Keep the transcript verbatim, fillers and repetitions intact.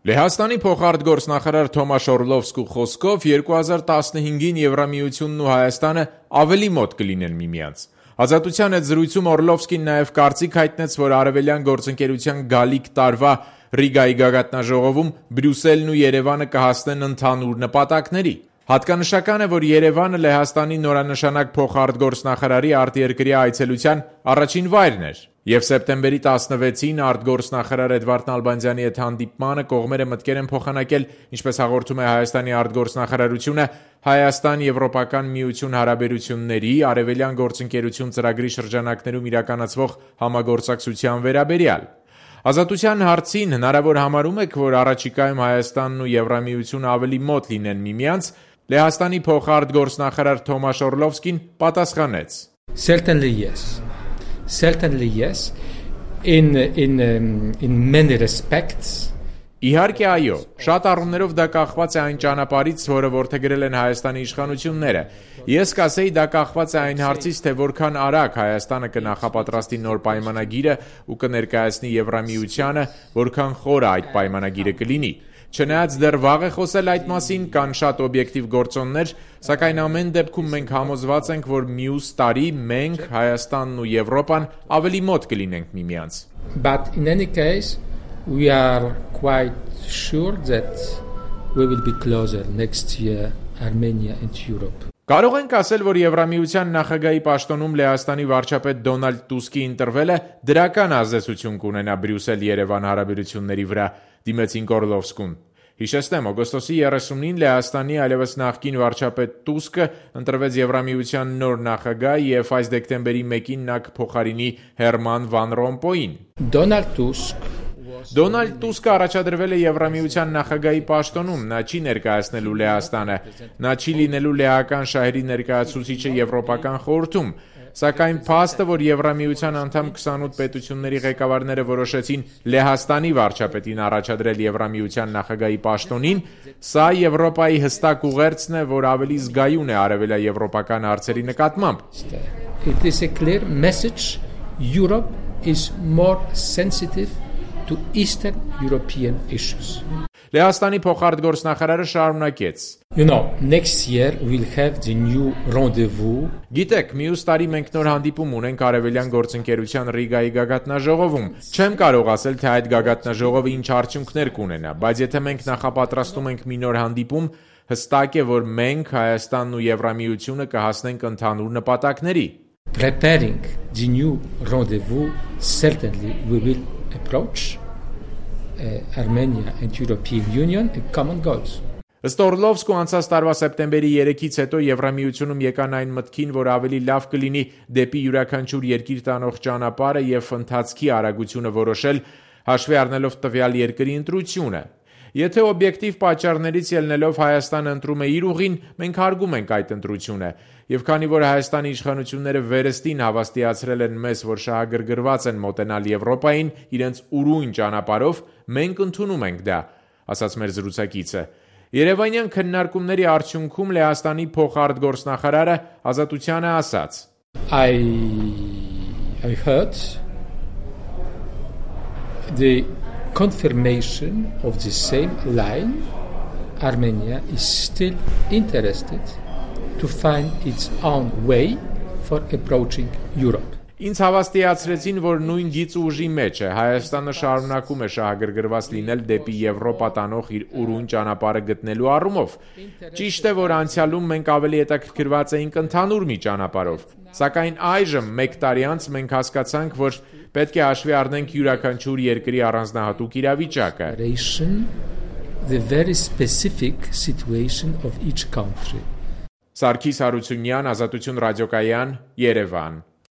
Լեհաստանի փոխարտգործնախարար Թոմաշ Օրլովսկու խոսքով երկու հազար տասնհինգին Եվրամիությունն ու Հայաստանը ավելի մոտ կլինեն միմյանց։ Ազատության հետ զրույցում Օրլովսկին նաև կարծիք հայտնեց, որ արևելյան գործընկերության գալիք տարվա Ռիգայի գագաթնաժողովում Բրյուսելն ու Երևանը կհասնեն ընդհանուր նպատակների։ Հատկանշական է, որ Երևանը Լեհաստանի նորանշանակ փոխարտգործնախարարի արտերկրյա այցելության առաջին վայրն էր, եւ սեպտեմբերի տասնվեցին արտգործնախարար Էդվարդ Նալբանդյանի հետ հանդիպմանը կողմերը մտքեր են փոխանակել, ինչպես հաղորդում է Հայաստանի արտգործնախարարությունը, Հայաստան-Եվրոպական միություն հարաբերությունների արևելյան գործընկերություն ծրագրի շրջանակներում իրականացվող համագործակցության վերաբերյալ։ Ազատության հարցին հնարավոր համարում եք, որ առաջիկայում Հայաստանն ու Եվրամիությունը ավելի մոտ լինեն միմյանց, Լեհաստանի փոխարտգործնախարար Թոմաշ Օրլովսկին պատասխանեց. Certainly yes. Certainly yes. In in um, in many respects. Իհարկե այո, շատ առումներով դա կախված է այն ճանապարհից, որը որդեգրել են Հայաստանի իշխանությունները։ Ես կասեի, դա կախված է այն հարցից, թե որքան արագ Հայաստանը կնախապատրաստի նոր պայմանագիրը ու կներկայացնի Եվրամիությանը, որքան խորը այդ պայմանագիրը կլինի։ Չնայած դեռ վաղ է խոսել այդ մասին, կան շատ օբյեկտիվ գործոններ, սակայն ամեն դեպքում մենք համոզված ենք, որ մյուս տարի մենք, Հայաստանն ու Եվրոպան ավելի մոտ կլինենք միմյանց։ But in any case we are quite sure that we will be closer next year, Armenia and Europe. Կարող ենք ասել, որ Եվրամիության նախագահի պաշտոնում Լեհաստանի վարչապետ Դոնալդ Տուսկի ընտրվելը դրական ազդեցություն կունենա Բրյուսել-Երևան հարաբերությունների վրա, դիմեցին Օրլովսկուն։ Հիշեցնեմ, օգոստոսի երեսունին Լեհաստանի այլևս նախկին վարչապետ Տուսկը ընտրվեց Եվրամիության նոր նախագահ եւ այս դեկտեմբերի մեկին նա կփոխարինի Հերման Վան Ռոմպոյին։ Դոնալդ Տուսկ Դոնալդ Տուսկը առաջադրվել է Եվրամիության նախագահի պաշտոնում, նա չի ներկայացնելու Լեհաստանը, նա չի լինելու լեհական շահերի ներկայացուցիչը Եվրոպական խորհրդում, սակայն փաստը, որ Եվրամիության անդամ քսանութ պետությունների ղեկավարները որոշեցին Լեհաստանի վարչապետին առաջադրել Եվրամիության նախագահի պաշտոնին, սա Եվրոպայի հստակ ուղերձն է, որ ավելի զգայուն է արևելաեվրոպական հարցերի նկատմամբ։ It is a clear message. Europe is more sensitive to Eastern European issues. Լեհաստանի փոխարտգործնախարարը շարունակեց. You know, next year we'll have the new rendezvous. Գիտեք, մյուս տարի մենք նոր հանդիպում ունենք արևելյան գործընկերության Ռիգայի գագաթնաժողովում։ Չեմ կարող ասել, թե այդ գագաթնաժողովը ինչ արդյունքներ կունենա, բայց եթե մենք նախապատրաստում ենք մի նոր հանդիպում, հստակ է, որ մենք Հայաստանն ու Եվրամիությունը կհասնենք ընդհանուր նպատակների։ Preparing the new rendezvous, certainly we will approach uh, Armenia and European Union a common goals. Ըստ Օրլովսկու անցած տարվա սեպտեմբերի երեքից հետո Եվրամիությունում եկան այն մտքին, որ ավելի լավ կլինի դեպի յուրաքանչյուր երկիր տանող ճանապարհը եւ ընթացքի արագությունը որոշել, հաշվի առնելով տվյալ երկրի ընտրությունը։ Եթե օբյեկտիվ պատճառներից ելնելով Հայաստանը ընտրում է իր ուղին, մենք հարգում ենք այդ ընտրությունը, եւ քանի որ Հայաստանի իշխանությունները վերստին հավաստիացրել են մեզ, որ շահագրգռված են մոտենալ Եվրոպային իրենց ուրույն ճանապարհով, մենք ընդունում ենք դա, ասաց մեր զրուցակիցը։ Երևանյան քննարկումների արդյունքում Լեհաստանի փոխարտգործնախարարը Ազատությանը ասաց. I I heard the confirmation of the same line. Armenia is still interested to find its own way for approaching Europe. Ինձ հավաստիացրեցին, որ նույն գիծ ուժի մեջ է, Հայաստանը շարունակում է շահագրգռված լինել դեպի Եվրոպա տանող իր ուրույն ճանապարհը գտնելու առումով։ Ճիշտ է, որ անցյալում մենք ավելի հետաքրքրված էինք ընդհանուր մի ճանապարհով, սակայն այժմ մեկ տարի անց մենք հասկացանք, որ պետք է հաշվի առնենք յուրաքանչյուր երկրի առանձնահատուկ իրավիճակը։ The very specific situation of each country. Սարգիս Հարությունյան, Ազատություն ռադիոկայան, Երևան։